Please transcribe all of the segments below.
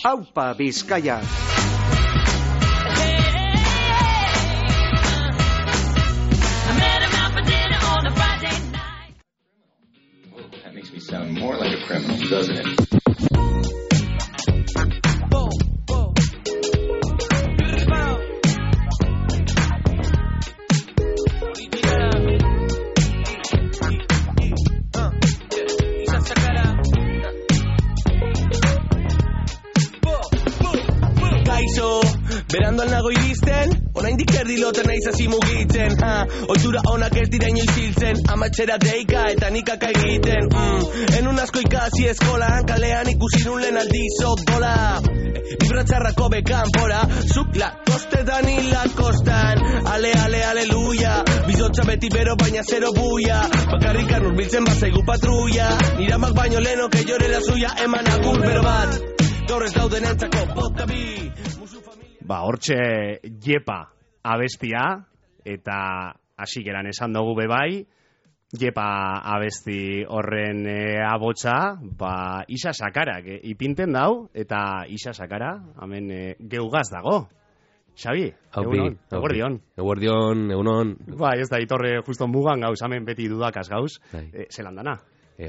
Aupa Bizkaia. That makes me sound more like a criminal, doesn't it? Beranduan nago iristen, oraindik erdiloten naiz hasi mugitzen. Ohitura onak ez dira inoiz hiltzen, amatxera deika eta nikaka egiten. Enun asko ikasi eskolan, kalean ikusi nun lehen aldiz odola. Libratzarrako bekan pora, zuk lakostetan hilakostan. Ale, aleluia, bizotza beti bero baina zero buia. Bakarrikan urbiltzen bazaigu patrulla, niramak baino leno que llore la suya, eman agur bero bat. Gaur ez dauden entzako bota bi. Hortxe Jepa abestia, eta hasieran esan dugu bebai, Jepa abesti horren abotsa, Isa Sakarak ipinten dau, eta Isa Sakara, hemen geugaz dago. Xabi, egunon, eguerdion. Eguerdion, egunon. Ez da, itorre justo mugan gauz, hemen beti dudakaz gauz, zelan dana.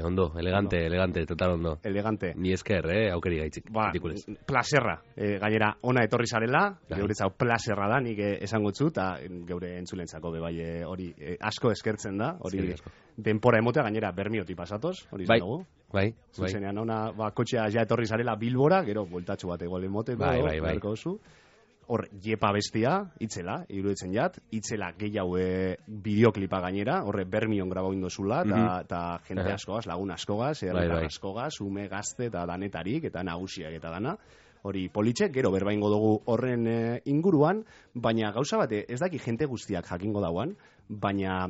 Ondo, elegante, total ondo. Elegante. Ni esker, aukeri gaitzik. Plaserra. Gainera, ona etorri zarela, geuretzau plaserra da, nik esango txu, eta geure entzulentzako bebai hori asko eskertzen da, hori denpora emotea, gainera bermioti pasatoz, hori izan dugu. Bai. Zuzenean, ona, kotxea ja etorri zarela Bilbora, gero, bueltatxo bat egual emote, berko oso. Hor, Jepa bestia, itzela, iruditzen jat, itzela gehiago bideoklipa gainera, horre bermion grabau indozula, eta jente askogaz, lagun askogaz, herritar askogaz, ume gazte eta danetarik, eta nagusiak eta dana. Hori politxek, gero berbaingo dugu horren inguruan, baina gauza bate, ez daki jente guztiak jakingo dauan, baina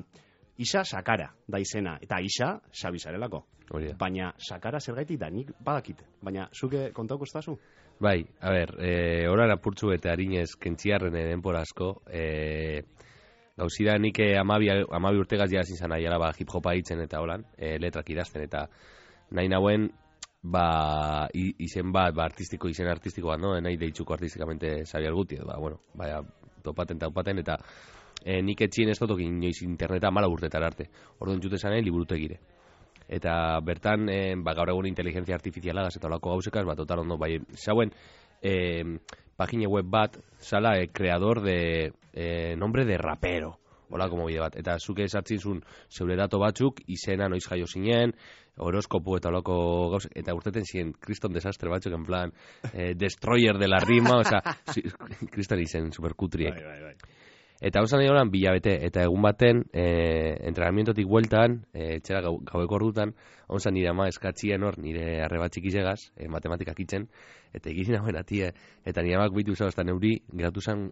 Isa Sakara da izena, eta Isa Xabizarelako. Baina Sakara zergaitik da, nik badakit, baina zuke kontauko estazu? Bai, a ber, horan apurtzu eta harinez kentziarren denpora asko, gauzira nik 12 urtegaz jazin zan aiala hip-hopa hitzen eta holan, letrak idazten, eta nahi nauen, izen bat, izen artistiko bat, no? Nahi deitzuko artistikamente Xabier Guti, topaten, eta nik etxien ez dotok inoiz interneta mala urtetar arte, orduan jute zanen liburutegire. Eta bertan, gaur egun inteligencia artifizialagaz eta olako gauzekaz, total ondo, zauen, pagine web bat, zala, creador de nombre de rapero, olako mobide bat, eta zuke esartzin zuen zeure dato batzuk, izena noiz jaio zinen, horoskopu eta olako gauzek, eta urteten ziren kriston desastre batzuk, en plan, destroyer de la rima, oza, kriston izen superkutriek. Bai. Eta hau zan horan bilabete, eta egun baten, entrenamientotik bueltan, txera gaueko ordutan, hau zan nire ama eskatzien hor, nire arrebatxik izegaz, matematikak itzen, eta egizin hauen atie, eta nire amak bitu uzabazta neuri, geratu zen,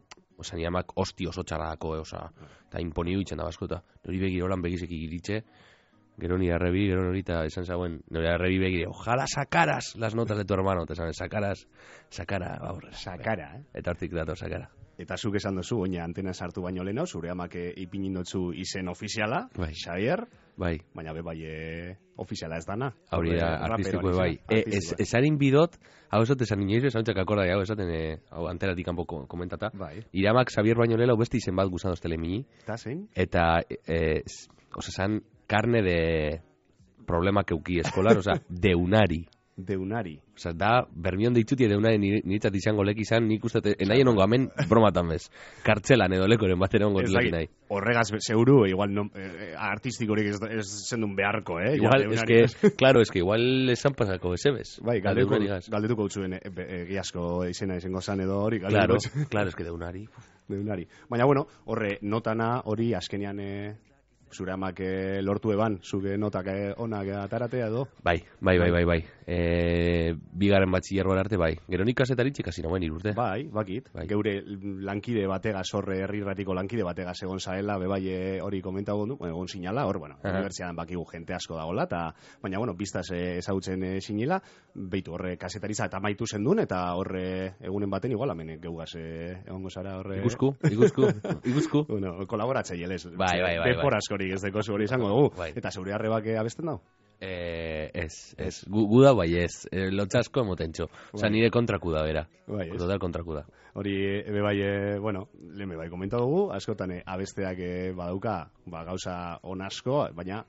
nire amak osti oso txarrako, eta imponiu itzen da basko, eta nori begir horan begizek igiritxe, gero nire arrebi, gero nori, eta esan zauen, nire arrebi begire, ojala sakaras las notas de tu hermano, eta esan, sakara, eta hortik dato sakara. Eta zuk esan dozu, oina antena sartu baino leheno, zure amak ipinin dotzu izen ofiziala, Xavier, baina bai ofiziala ez dana. Hori da, artistiko bai. Esarin bidot, hau esot esan inoiz, esan txak akorda, hau esaten anteratik kanpo komentata. Iramak Xavier baino leheno beste izen bat guzan doztele mini. Eta zein? Eta, esan, carne de problemak euki eskolar, deunari. Deunari. Da, bermion deitzuti deunari niretzat izango lek izan, nik uste, nahi enongo hemen bromatan bez. Kartzelan edo lekoren bat enongo leki nahi. Horregaz, seguru, igual artistikorik ez zendun beharko, Igual, igual esan pasako ezebez. Bai, galdetuko utzuen egiazko izena izango zan edo hori. Claro, eske deunari. Baina, bueno, horre notana hori azkenean zure amak lortu eban, zuke notak onak ataratea edo? Bai. Bigaren batxillerroan arte, bai. Gero nik kasetaritxik hasi nagoen irurte. Bai, bakit. Geure lankide bategaz, horre herrirratiko lankide bategaz egon zaela, bebai hori komentago du, egon sinala, hor, unibertsiadan bakigu jente asko dagoela, baina, biztaz ezagutzen sinila, beitu horre kasetaritza eta maitu zendun, eta horre egunen baten igual, hemen geugaz egongo zara horre... Iguzku. Kolaboratzei, elez. Bai. Depor askorik ez deko hori izango dugu. Eta zeure arrebak abesten dago? Ez. Gu da, bai ez. Lotxasko emotentxo. Osa, nire kontraku da, bera. Bai, ez. Total kontraku da. Hori, ebe bai, lehen bai komenta dugu, askotan abesteak badauka, gauza on asko, baina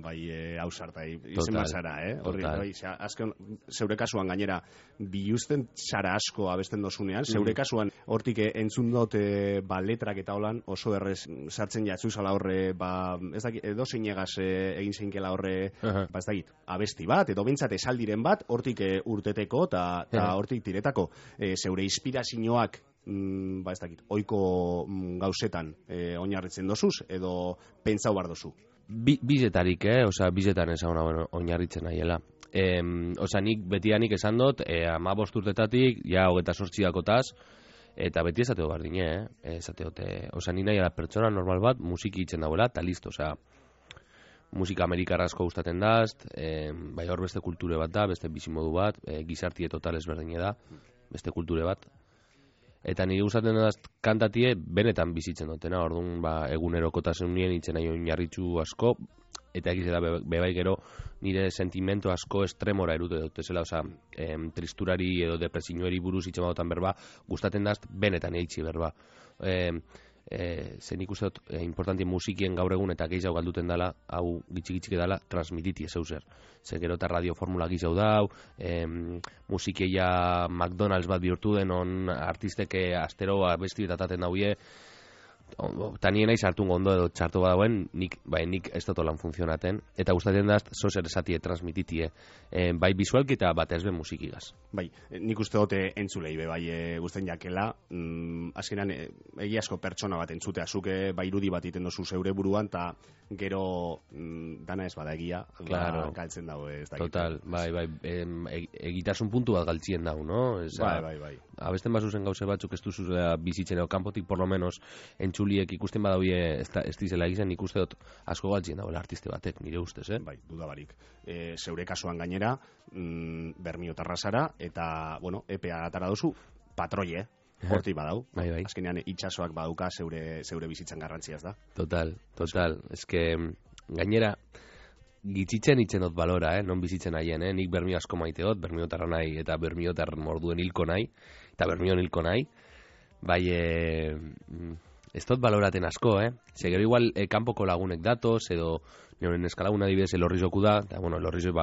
bai hausartai izen bazara, Horri, bai, azken, zeure kasuan gainera, biluzten zara asko abesten dozunean, zeure kasuan hortik entzun dut letrak eta holan oso errez sartzen jatzuzala horre, ez dakit, edo zeinegaz egin zeinkela horre, ez dakit, abesti bat, edo bintzat esaldiren bat, hortik urteteko eta hortik tiretako, zeure inspirazioak ez dakit, oiko gauzetan oinarritzen dozuz, edo pentsau bar dozu? Bizetarik, bizetan ezaguna oinarritzen nahiela. Nik betianik esan dut, 15 urtetatik, ja 28 dakotaz, eta beti esateo bardine, esateote, ni nahiela pertsona normal bat, musiki itzen dauela, eta listo, musika amerikarra asko gustaten dazt, bai hor beste kulture bat da, beste bizimodu bat, gizartie total ezberdine da, beste kulture bat. Eta nire gustatzen daz kantatie benetan bizitzen dutena, orduan egunerokotasunien itzen nahi oinarritzu asko, eta egiz da bebai gero nire sentimentu asko estremora erute dut, ezela, tristurari edo depresioari buruz itzen badotan berba, gustatzen daz benetan eitzi berba. Zen ikusten dut importantien musikien gaur egun eta gehiago galduten dela, hau gitxik dela, transmititi zeuser. Zer gero eta radioformula gizau dau, musikeia McDonald's bat bihurtu den, on artisteke astero abesti betataten dauie, eta nien naiz hartu gondo edo txartu badauen, nik ez dut lan funtzionaten, eta gustatzen daz, zozer esatie transmititie, bai bizualki eta bat ezben musikigaz. Bai, nik uste dute entzulei, bai guztien jakela, azkenan egiazko pertsona bat entzutea, zuke bai irudi bat iten dozu zeure buruan, eta gero dana ez bada egia, galtzen dago ez da. Total, bai, egitasun puntu bat galtzien dago, no? Bai. Abesten bazuzen gauze batzuk ez duzuzea bizitzen edo kanpotik por lo menos entzuliek ikusten badauie ez dizela egiten, nik uste dut asko galtzien dagoela artiste batek, nire ustez, Bai, dudabarik. Zeure kasuan gainera, Bermiotarra zara, eta, EPA atara duzu, patroie, horti badau. Bai. Azkenean itxasoak baduka zeure bizitzan garrantziaz da. Total. Eske, gainera, gitzitzen itzen dut balora, non bizitzen haien, nik Bermio asko maite dut, Bermiotarra nahi, eta Bermiotar morduen hilko nahi, eta Bermion hilko nahi, bai, ez dut baloraten asko, Zegero igual kanpoko lagunek datoz, edo nioren eskalaguna dibidez elorrizoku da, eta elorrizo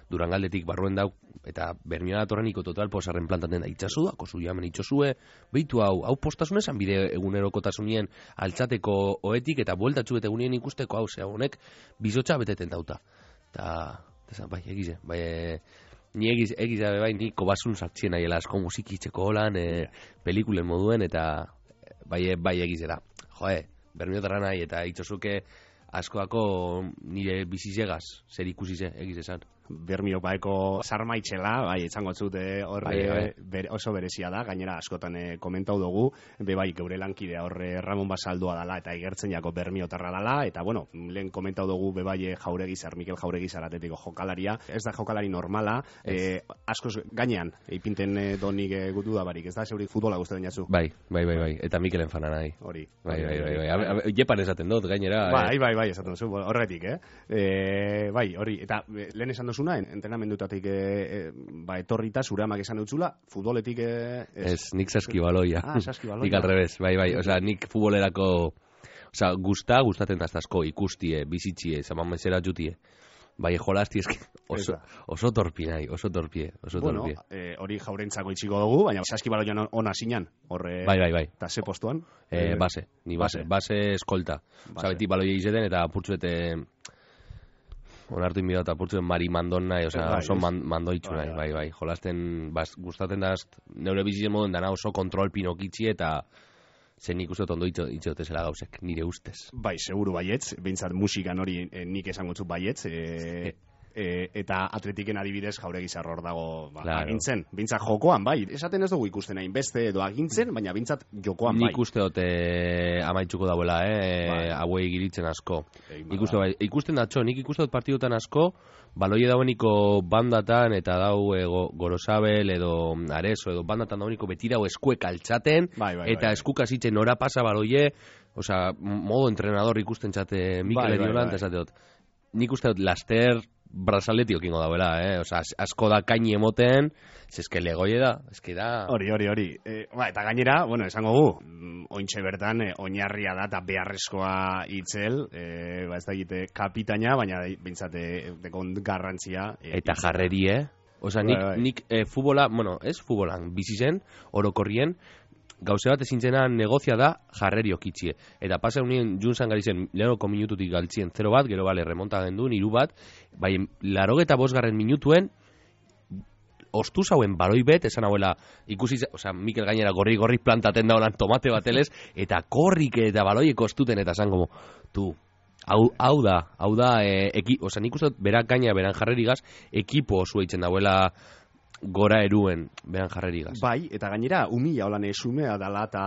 Durangaldetik barruen dauk, eta Bermiona datorreniko total posarren plantaten da, itxasu da, kozu jamen itxosue, behitu hau postasun esan bide egunerokotasunien altzateko oetik, eta bueltatxu eta egunien ikusteko hau, honek bizotxa beteten dauta. Eta, bai, egize, ni egize, bai, ni kobasun sartxien nahiela asko musikitzeko holan, pelikulen moduen, eta bai egize da. Bermiotarra nahi, eta itxosuke askoako nire bizizegaz, zer ikusize, egize esan. Bermio baeko sarmaitxela, bai, etxango zute horre oso berezia da, gainera askotan komentau dugu, bai, geure lankidea horre Ramon Basaldua dala, eta igertzen jako Bermiotarra dala, eta lehen komentau dugu bai Jauregizar, Mikel Jauregizar atetiko jokalaria, ez da jokalari normala, askoz gainean, ipinten donik gutu da barik, ez da, zeurik futbola guztetan jatzu? Bai, Mikelen fanan nahi. Hori. Bai, jepan esaten dut, gainera. Bai, esaten duzu, horretik, Bai, hori, eta lehen esan duzuna, entrenamendutatik etorrita, zure amak esan dutzula, futboletik... Ez, nik saskibaloia. Saskibaloia. Nik alrebez, bai, nik futbolerako... gustaten daztazko ikustie, bizitzie, zamamezera jutie. Bai, jolazti eski oso torpi nahi, oso torpie. Hori jaurentzako itxiko dugu, baina saskibaloian ona zinan, horre... Bai. Eta ze postuan? Base eskolta. Beti baloia izeten eta apurtzuete... Onartu inbida eta apurtzuen Mari Mandon nahi, oso mandoitzu nahi, bai. Jolasten, gustaten daz, neure bizitzen moden dana oso kontrol pinokitzi eta zen nik uste ondo itxotezela gauzek, nire ustez. Bai, seguru baietz, behintzat musikan hori nik esango txut baietz, eta atletiken adibidez Jauregizar hor dago agintzen, bintzat jokoan, bai, esaten ez dugu ikusten hain beste edo agintzen, baina bintzat jokoan bai. Nik uste dute amaitzuko dauela, hauei giritzen asko. Ikusten datxo, nik ikuste dut partidutan asko, baloie daueniko bandatan eta dau Gorosabel edo Areso edo bandatan daueniko beti dau eskuek altxaten, eta eskukasitzen nora pasa baloie, modo entrenador ikusten txate Mikel Ediolan, eta esate dut. Nik uste dut laster brazaleti okingo dauela, Osa, asko da kaini emoten, eske legoie da, eske da... Hori. Eta gainera, bueno, esango gu, ointxe bertan, oinarria da eta beharrezkoa itzel, ez da egite kapitaina, baina bintzate dekon garrantzia. Eta jarreri, Osa, nik futbola, bueno, ez futbolan, bizi zen, orokorrien, gauze bat ezintzena negozia da jarreri okitzie. Eta pasa unien junzan gari zen, lehenoko minututik galtzien 0 bat, gero bale, remonta gendun, 3 bat, bai, 85 minutuen, ostu zauen baloi bet, esan hauela, ikusi, oza, Mikel gainera gorri plantaten daulan tomate batelez, eta korrik eta baloiek ostuten, eta esan como, hau da, oza, nik uste, berak gaina, beran jarrerigaz, ekipo osu eitzen dauela, gora eruen beran jarrerigaz. Bai, eta gainera, umila holan esumea dala, eta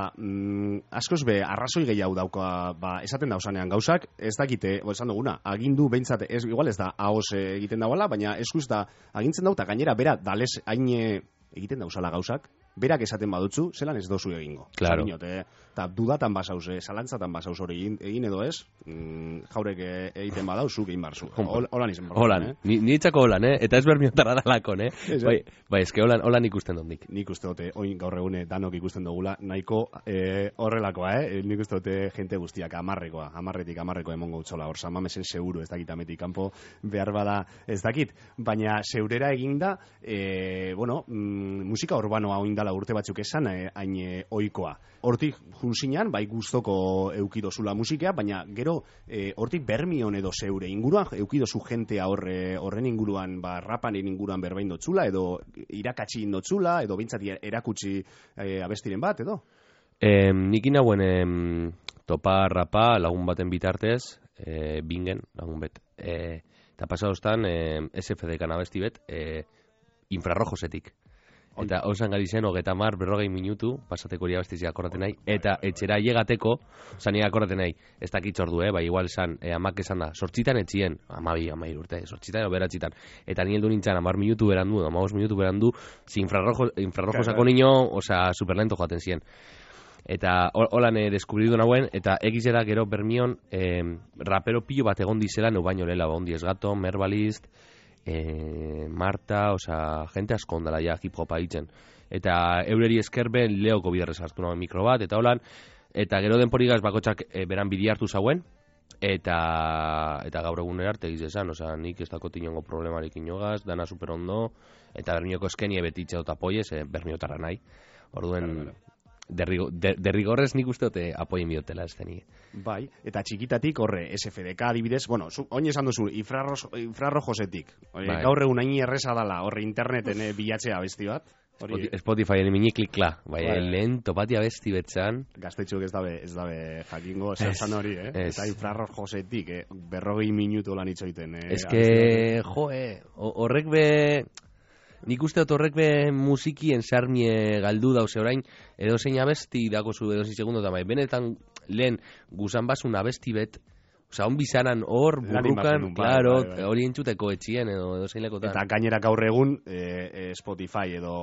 askoz be, arrazoi gehiago dauka, esaten dausanean gauzak, ez dakite, esan duguna, agindu behintzat, igual ez da, ahoz egiten dauala, baina eskuz da, agintzen dauta, gainera, bera, dalez, hain egiten dauzala gauzak, berak esaten badutzu, zelan ez dozu egingo. Claro. Eta dudatan basauz, zalantzatan basauz hori egin edo ez, jaurek egiten badauzu egin barzu. Holan izan barzu. Holan, niretzako holan, eta ez bermiotara dalakon, Bai, eske holan ikusten dondik. Nik uste dute, oin gaur egune danok ikusten dugula, nahiko horrelakoa, Nik uste dute jente guztiak amarretik emongo utzola, hor samamesen seguru, ez dakit ametik kanpo behar bada ez dakit, baina zeurera eginda, musika urbanoa oindala urte batzuk esan, hain oikoa. Hortik junzinan, bai guztoko eukidozula musika, baina gero hortik bermion edo zeure inguruan, eukidozu jentea horren inguruan, rapanen inguruan berbain dotzula, edo irakatsi indotzula, edo bintzati erakutsi abestiren bat, edo? Nikin hauen topa rapa lagun baten bitartez, bingen lagun bet. Eta pasadostan, SFDK abesti bet, infrarrojosetik. Eta osan gari zen, 30-40 minutu, pasateko hori abestizia akordaten nahi, eta etxera llegateko, zania akordaten nahi, ez dakit ordu, bai, igual esan, amak esan da, 8 etxien, 12 urte, 8 edo beratxitan, eta ni heldu nintzen 10 minutu berandu, 15 minutu berandu, infrarrojo sako niño, osa, superlento joaten ziren. Eta holan deskubridu nauen, eta egizera gero bermion, rapero pilo bat egon dizela, neu baino lela, ondi esgato, merbalist, Marta, oza, jente asko ondala ja hip-hopa hitzen. Eta eureri eskerben leoko biderrez hartu nagoen mikro bat, eta holan, eta gero denporigaz bakotxak beran bidi hartu zauen, eta gaur egunera arte egiz oza, nik ez dako tinongo problemarik inogaz, dana super ondo, eta bermioko eskenie betitxe dut apoiez, bermiotarra nahi. Orduen, derrigorrez nik uste dute apoien biotela ez deni. Bai, eta txikitatik horre, SFDK adibidez, bueno, oin esan duzu, infrarrojosetik. Gaur egun hain erreza dala, horre interneten bilatzea abesti bat. Spotifyen minik klikla, bai, lehen topati abesti betzan. Gaztetxuk ez dabe jakingo, zan hori, Eta infrarrojosetik, 40 minutu lan itxoiten. Eske, horrek be... Nik uste dut horrek be musikien sarmie galdu dauz orain, edo zein abesti dakozu edo zein segundo eta benetan lehen guzan basun abesti bet, oza, on bizanan hor, burrukan, klaro, hori entzuteko etxien edo zein lekotan. Eta gainera gaur egun Spotify edo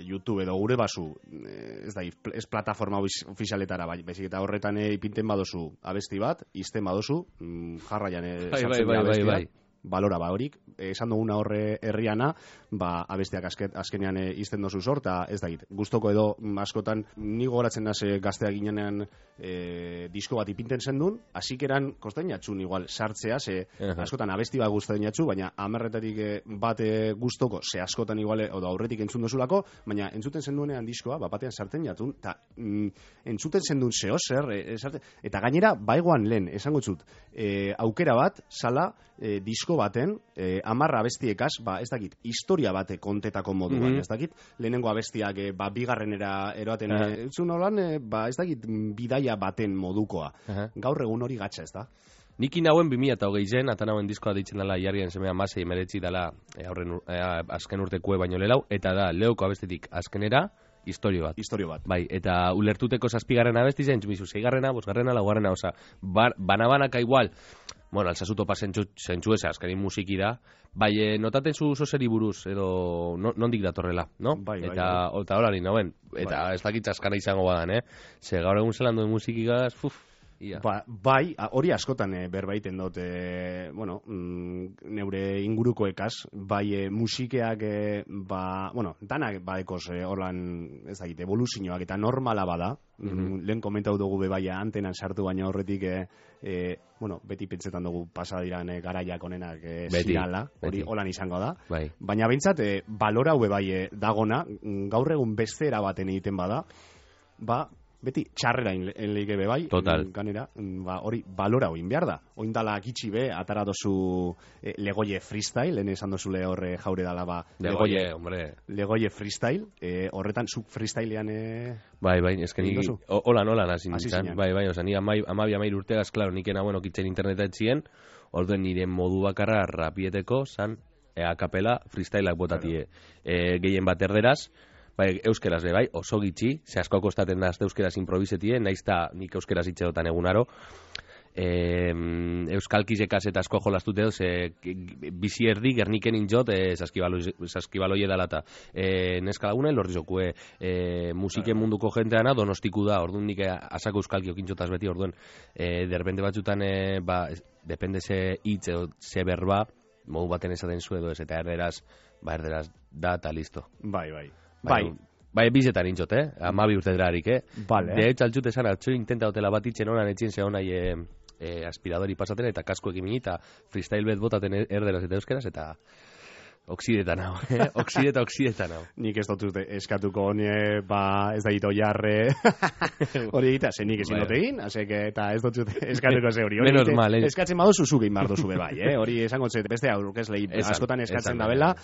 YouTube edo gure basu, ez plataforma ofizialetara, baizik eta horretan ipinten badozu abesti bat, izten badozu, jarraian sartzen da abestia. Balora horik, esan duguna horre herriana, abestiak azkenean izten dozu zor, eta ez dakit, guztoko edo askotan, ni gogoratzen naze gaztea ginean disko bat ipinten zendun, hasikeran kosten jatxun igual sartzea, askotan abesti bat guztain jatxu, baina amerretatik bat guztoko, askotan igual, odo aurretik entzun dozulako, baina entzuten zenduenean diskoa, batean sartzen jatun, eta entzuten zendun zer, eta gainera, baigoan lehen, esango txut, aukera bat, sala, disko baten, 10 abestiekaz, ez dakit, historia bate kontetako moduan, ez dakit, lehenengo abestiak bigarrenera eroaten, entzun holan, ez dakit, bidaia baten modukoa. Gaur egun hori gatsa, ez da? Nik inauen 2020 zen, atan hauen diskoa deitzen dela jarrien semea masei meretzi dela azken urtekue baino lelau, eta da, leoko abestetik azkenera, historio bat. Bai, eta ulertuteko 7. abesti zen, txumizu, 6., 5., 4., oza, banabanaka igual, bueno, alzazuto zentsu eza, azkenin musiki da, bai, notaten zu zozeri buruz, edo nondik datorrela, no? Bai. Eta hola nauen, eta ez dakit askana izango badan, ze gaur egun zelan duen musikigaz, Bai, hori askotan berbaiten dut, bueno, neure ingurukoekaz, bai musikeak, danak badekoz horlan, ez dakit, evoluzioak eta normala bada, lehen komentau dugu bebaia antenan sartu baina horretik, beti pentsetan dugu pasadiran garaiak onenak zirala, hori holan izango da, baina behintzat, balora bebai dagona, gaur egun beste erabaten egiten bada, beti txarrera enleike bebai, ganera, hori balora oin behar da. Oindala gitxi be, atara dozu Legoie freestyle, lehen esan dozule horre jaure dala, Legoie freestyle, horretan zuk freestylean... Bai, esken holan hasi nintzen. Bai, oza, ni amabia urtegaz, klaro, nikena, kitzen interneta etzien, orduen nire modu bakarra rapieteko, zan, akapela freestyleak botatie. Gehien bat erderaz, bai, euskeraz bai, oso gitxi, ze asko kostaten da euskeraz improvisetien, naizta nik euskeraz itxedotan egunaro. Euskalkizekaz eta asko jolastute dut, bizi erdi gerniken injot saskibaloie dalata. Neska lagunen lorrizokue musiken munduko jenteana donostiku da, orduan nik asako euskalki okintxotaz beti, orduan derbende batzutan, depende ze hitz edo ze berba, modu baten esaten zu edo ez, eta erderaz da eta listo. Bai, bizetan intxot, amabi urte derarik, De hecho, altxute esan, altxo intenta hotela bat itxen honan etxin ze honai aspiradori pasaten eta kasko ekin minita, freestyle bet botaten erderaz eta euskeraz, eta oksidetan hau, oksidetan hau. Nik ez dut eskatuko ez da hito jarre hori egita, ze nik ezin dut egin, eta ez dut eskatuko ze hori. Menos mal, eskatzen badu zuzuk egin bardo zube bai, hori esango txet, beste aurkez lehi askotan eskatzen da bela,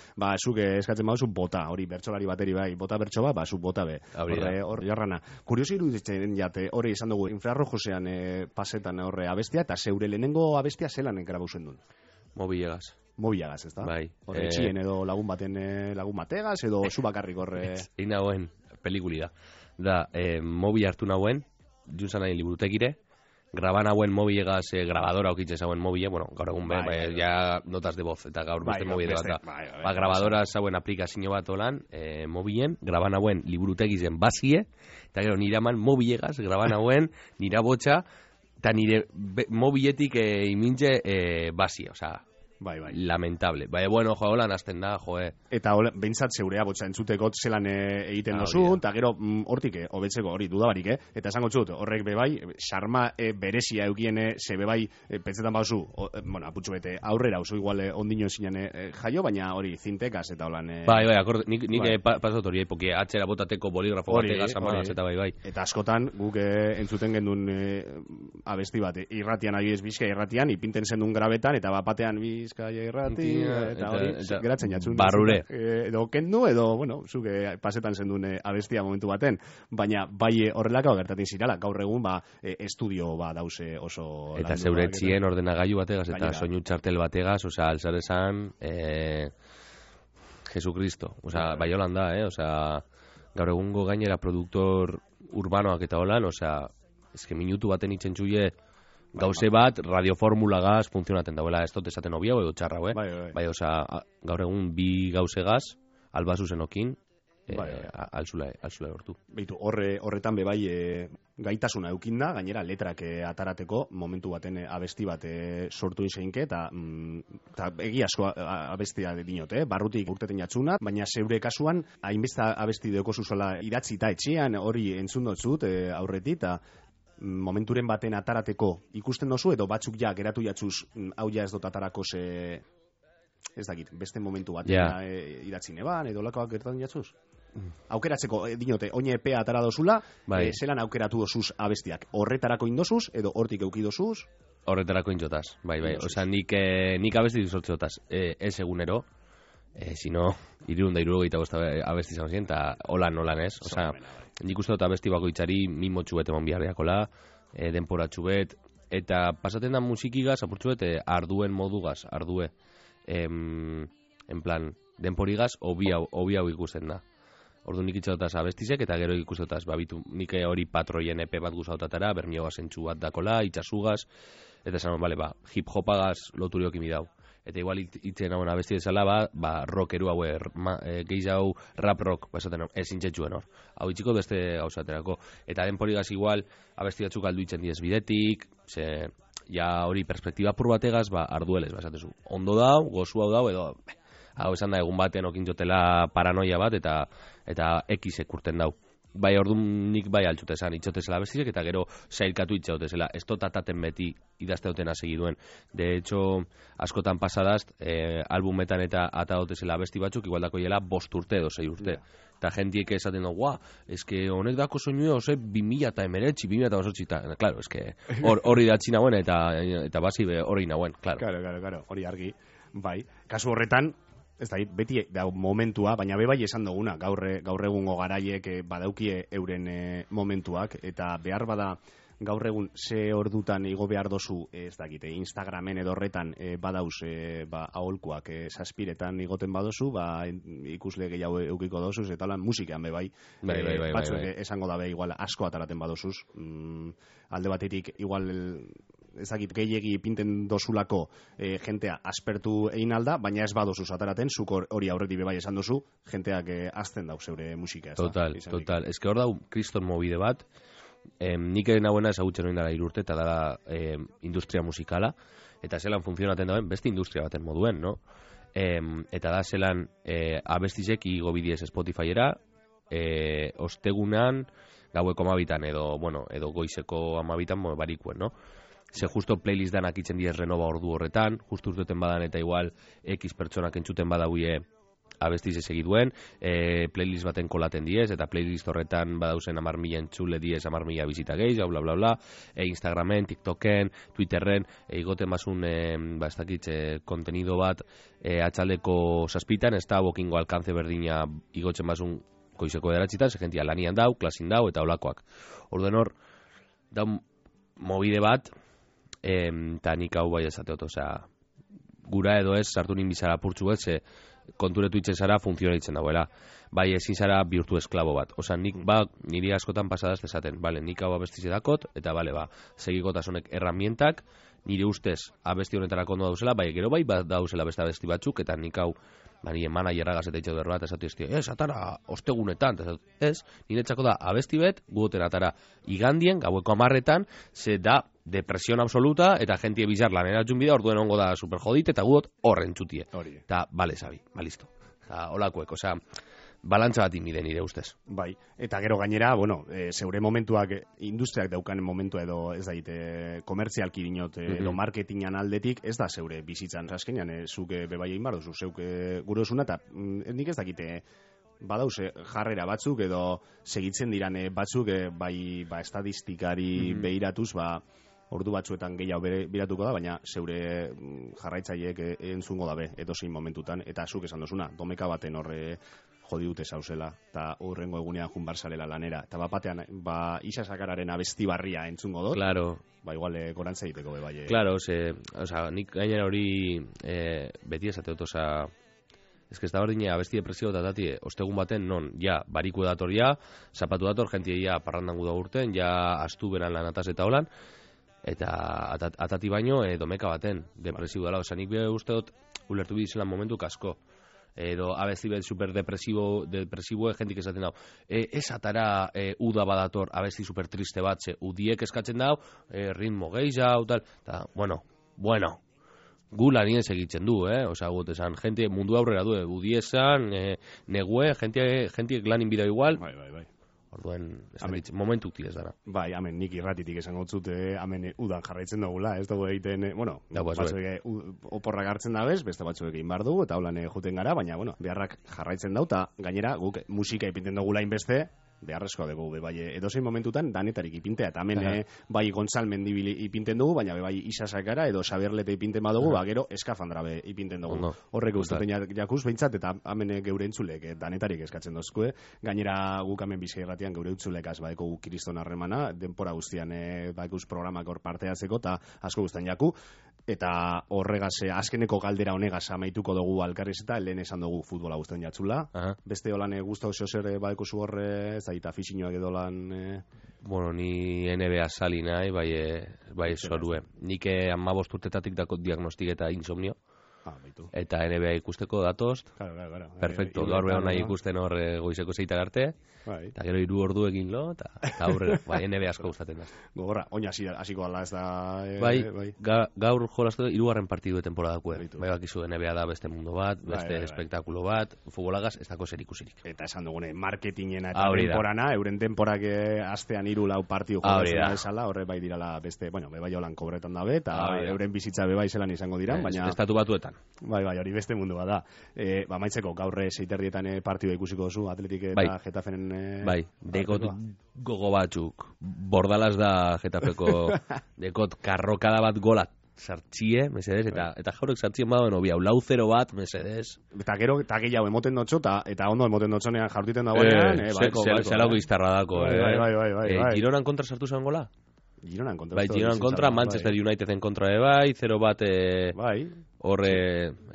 zuk eskatzen badu zu bota, hori bertsolari bateri bai, bota bertso ba, zu bota be, hori jarrana. Kuriosi iruditzen jate, hori esan dugu, infrarrojosean pasetan horre abestia, eta zeure lehenengo abestia zelan grabauzen duen? Mobilegaz, ez da? Bai. Horre txien edo lagun bategaz, edo zu bakarrik horre... Egin nagoen, pelikuli da. Da, mobi hartu nagoen, juntzan nahi liburutekire, graban nagoen mobilegaz, grabadora okitzen zauen mobile, gaur egun ja notas de voz, eta gaur beste mobile bat da. Grabadora zauen aplikazio bat olan, mobilen, graban nagoen liburutegizen bazie, eta gero nire aman mobilegaz, graban nagoen, nire botxa, eta nire mobiletik imintze bazie, osea... Bai. Lamentable. Bai, bueno, holan azten da, Eta behintzat zeurea botxa entzuteko zelan egiten dozu, eta gero hortik hobetzeko hori dudabarik, Eta esango txut, horrek bebai, xarma berezia eukien ze bebai, pentsetan bauzu, aputxu bete, aurrera oso igual ondino zinean jaio, baina hori zintekaz eta holan... Bai, akorde, nik pasot hori, epoki atxera botateko boligrafo bategaz amanaz eta bai. Eta askotan, guk entzuten gendun abesti bat, irratian adibidez Bizkaia irratian, ipinten zendun grabetan, eta bapatean Bizkaia irrati, eta hori, geratzen jatzun. Barrure. Edo kendu, edo, zuke pasetan zendun abestia momentu baten, baina bai horrelako gertatzen zirala, gaur egun, estudio dause oso... Eta zeure txien ordenagailu bategaz, eta soinu txartel bategaz, alzarezan, Jesucristo, bai holan da, gaur egungo gainera produktor urbanoak eta holan, eske minutu baten itzen txuie, gauze bat, radioformulagaz funtzionaten dauela, ez dut esaten obia, edo txarra, bai, gaur egun bi gauze gaz, albazu zenokin, alzula hortu. Beitu, horretan bebai gaitasuna eukin da, gainera letrak atarateko momentu baten abesti bat sortu izeinke, eta egi asko abestia dinote, barrutik urteten jatzuna, baina zeure kasuan, hainbeste abesti deko zuzola idatzi eta etxean hori entzun dotzut aurretik, eta momenturen baten atarateko ikusten dozu, edo batzuk ja geratu jatzuz hau ja ez dut atarako ez dakit, beste momentu baten idatzi neban, edo lakoak gertatu jatzuz? Aukeratzeko, dinote, oine epea atara dozula, zelan aukeratu dozuz abestiak? Horretarako indozuz, edo hortik eukidozuz? Horretarako indotaz, bai. Osa, nik abesti duzortzotaz, ez egunero, sino, 375 abesti izan ziren, eta holan ez, osa, nik uste dut abesti bakoitzari mimotxu bet emon biharriakola, denporatxu bet, eta pasaten da musikigaz, apurtxu bet, arduen modugaz, en plan, denporigaz, obi hau ikusten da. Ordu nik itxotaz abestizek, eta gero ikustotaz, nik hori patroien epe bat guzautatara, bermiogaz entxu bat dakola, itxasugaz, eta esan, hip-hopagaz loturiok imidau. eta igual itzen hauen abesti bezala, rockeru hau, gehiago rap rock, esaten ezin txetxuen hor. Hau itxiko beste gauzaterako. Eta denporigaz igual, abesti batzuk aldu itzen diez bidetik, ja hori perspektiba pur bategaz, arduelez, esatezu. Ondo dau, gozu hau dau, edo, hau esan da egun baten okintxotela paranoia bat, eta X ekurten dau. Bai, orduan nik bai altxutezan, itxotezela bestizek, eta gero sailkatu itxautezela. Ez totataten beti idazteoten hasi duen. De hecho, askotan pasadaz, albumetan eta atadotezela besti batzuk, igual dako hiela 5 urte edo 6 urte. Eta jentiek esaten dugu, eske honek dako soinua, 2019, 2018, claro, eske hori datzi nauen, eta basi hori nauen, claro. Claro, hori argi, bai. Kasu horretan, ez da, beti da momentua, baina bai esan duguna, gaur egungo garaiek badaukie euren momentuak, eta behar bada gaur egun ze ordutan igo behar dozu, ez dakite, Instagramen edo horretan badauz aholkuak saspiretan igoten badozu, ikusle gehiago eukiko dozuz, eta holan musikean bai. Batzuek esango dabe igual asko ataraten badozuz, alde batetik igual ezagit gehiegi pinten dozulako jentea aspertu egin alda, baina ez badozuz ataraten, zuk hori aurretik bai esan dozu, jenteak azten dau zeure musika. Total. Ez que hor dau kriston mobide bat, nik eren hauena ezagutzen hori dara 3 urte, eta dara industria musikala, eta zelan funtzionaten dauen beste industria baten moduen, no? Eta da zelan abestizek igo bidiez Spotifyera, ostegunan, gaueko 12 edo goizeko 12 barikuen, no? Ze justo playlist danak itzen diez renova ordu horretan, justo urteten badan eta igual X pertsonak entzuten badauie abestiz segiduen, playlist baten kolaten diez, eta playlist horretan badauzen 10.000 entzule diez, 10.000 bizita gehiago, bla bla bla, Instagramen, TikToken, Twitterren, igoten bazun, ez dakit, kontenido bat, atxaldeko 7, ez da bokingo alkance berdina igotzen bazun goizeko 9, ze jentia lanian dau, klasin dau, eta olakoak. Orduen hor, da mobide bat, eta nik hau bai esateot, gura edo ez, sartu ninbizara purtsu ez, konturetu itzen zara, funtzionaitzen dauela. Bai, ezin zara bihurtu esklabo bat. Nik niri askotan pasadaz esaten, nik hau abestize dakot, eta segikotasunek herramientak, nire ustez abesti honetarako ondo dauzela, gero bai dauzela beste abesti batzuk, eta nik hau nire managerra gazeta itxau derro bat, esatu iztio, atara ostegunetan, nire txako da abesti bet, guoten atara igandien, gaueko 10, ze da depresión absoluta, eta jentie bizar lanera junbida, orduen ongo da super jodit, eta guot horren txutie. Eta, bale, sabi, listo. Olakuek, balantza bat inbide nire ustez. Bai, eta gero gainera, zeure momentuak, industriak daukan momentua edo, ez daite, komertzialki dinot, edo marketingan aldetik, ez da zeure bizitzan, azkenean, zuk bebai egin barduzu, zeuk gure osuna, eta nik ez dakite, badauze jarrera batzuk, edo segitzen diran batzuk, bai, estadistikari behiratuz, ordu batzuetan gehiago biratuko da, baina zeure jarraitzaileek entzungo dabe, edozein momentutan, eta zuk esan dozuna, domeka baten horre jodi dute zauzela, eta horrengo egunean junbar zalela lanera, eta batean, isasakararen abesti barria entzungo dut, claro. Igual gorantza egiteko bai. Claro, nik gainera hori beti esateot, ez que ez da berdine abesti depresio datati, ostegun baten, non, bariku dator zapatu dator, jentie parrandangu da urten, astu beran lanataz eta holan, eta atati baino domeka baten depresibo dela, nik bide usteot ulertu bidizela momentu kasko, edo abesti bet super depresibo jentik esaten dau, ez atara uda badator abesti super triste bat, ze udiek eskatzen dau, ritmo gehiago, tal, eta, bueno, gu lanien segitzen du, gut esan, gente mundu aurrera du, udiesan, negue, jentiek lanin bidea igual, bai. Orduen, momentuk tirez dara. Bai, hamen nik irratitik esango zut, hamen udan jarraitzen dugula, ez dugu egiten, batzuek oporrak hartzen dabez, beste batzuek egin bar dugu, eta holan juten gara, baina, beharrak jarraitzen dau, eta gainera, guk musika ipinten dugula inbeste, beharrezkoa dugu, bai, edozein momentutan danetarik ipintea, eta hemen bai Gontzal Mendibili ipinten dugu, baina bai Isasakara edo Xaberlete ipinten badugu, gero eskafandra ipinten dugu. Horrek ustetan jakuz behintzat, eta hemen geure entzulek danetarik eskatzen dozkue, gainera guk hemen Bizkairratian geure entzulekaz baeko kriston harremana, denpora guztian baikuz programak hor parteatzeko, eta asko guztan jaku, eta horregaz, azkeneko galdera honegaz amaituko dugu alkarriz eta lehen esan dugu futbola guztan jatzula, beste holan guztau zeozer baiko zu horre, eta afizinoak edo lan... ni NBA sali nahi, bai zorue. Nik 15 urtetatik dakot diagnostik eta insomnio. Eta NBA ikusteko datoz. Claro. Perfecto, gaur behar nahi ikusten hor goizeko zeitar arte. Eta gero 3 ordu egin lo, eta aurrera, NBA asko gustatzen da. Gogorra, oina hasiko ala ez da... Gaur jolastu 3. partidu de temporadako. Bai bakizu NBA da beste mundo bat, beste espektakulo bat, futbolagaz ez dako zer ikusirik. Eta esan dugune, marketingena eta temporana, euren temporak astean 3-4 partidu jolatzen esala, horre bai dirala beste, bai holan kobretan dabe, eta euren bizitza bebai zelan izango diran, baina... Estatu batuetan. Bai, hori beste mundu bat da. Maitzeko, gaurre 6:30 partidua ikusiko duzu, Atletik eta Getafenen... Bai, dekot gogo batzuk, Bordalaz da Getafeko, dekot karrokada bat golat sartxie, mesedez, eta jaurek sartxien badauen obia, 4-0 bat, mesedez. Eta gero, eta gehiago emoten dotxo, eta ondo emoten dotxonean jartiten dagoenean, zelako iztarra dako, Bai. Gironan kontra sartu zen gola? Gironan kontra. Bai, Gironan kontra, Manchester Uniteden kontra bai, 0 bat, horre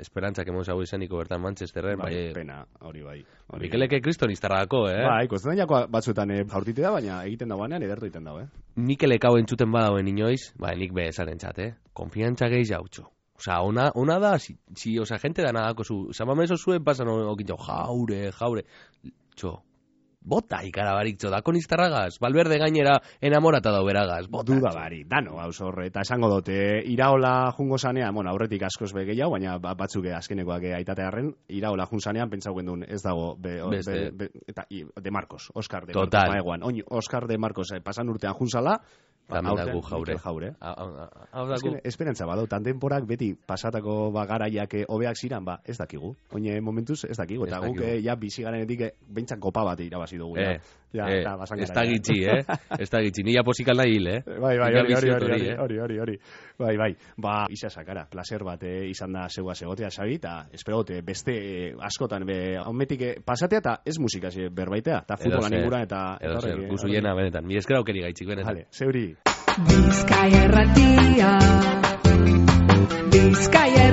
esperantzak emon zago izaniko bertan Manchesterren, bai. Pena, hori bai. Mikeleke kriston iztarrako, Bai, kostan jako batzuetan jaurtite da, baina egiten dagoenean edertu egiten dago, Mikelek hau entzuten badauen inoiz, nik behesaren txat, konfiantza gehi jautxo. Osa, ona da, gente da nadako zu, zamamezo zuen pasan okintxo, jaure, txo. Bota ikarabarik txodakon iztarragaz, Valverde gainera enamorata da beragaz. Duda bari, dano gauz horre, eta esango dute, iraola jungo zanean, aurretik askoz begehiago, baina batzuk azkenekoak aitatearen, iraola jun zanean, pentsau gendun, ez dago, eta de Marcos, Oscar de Marcos, Oscar de Marcos, pasan urtean junzala, Dago jaure. Esperantza bado, tandenporak beti pasatako garaiak hobeak ziran, ez dakigu. Oine momentuz ez dakigu, eta guk bizi garenetik behintzat kopa bat irabazi dugu. Ez da gitxi, ez da gitxi, nila posikal nahi hil, Bai, hori. Bai, isa sakara, placer bat izan da zegoa segotea, Xabi, eta espero gote, beste askotan, onmetik pasatea eta ez musikaz berbaitea, eta futbolan ingura, eta... Edo zer, guzu jena benetan, mi eskera aukeri gaitxik benetan. Zeuri. Bizkaia erratia, Bizkaia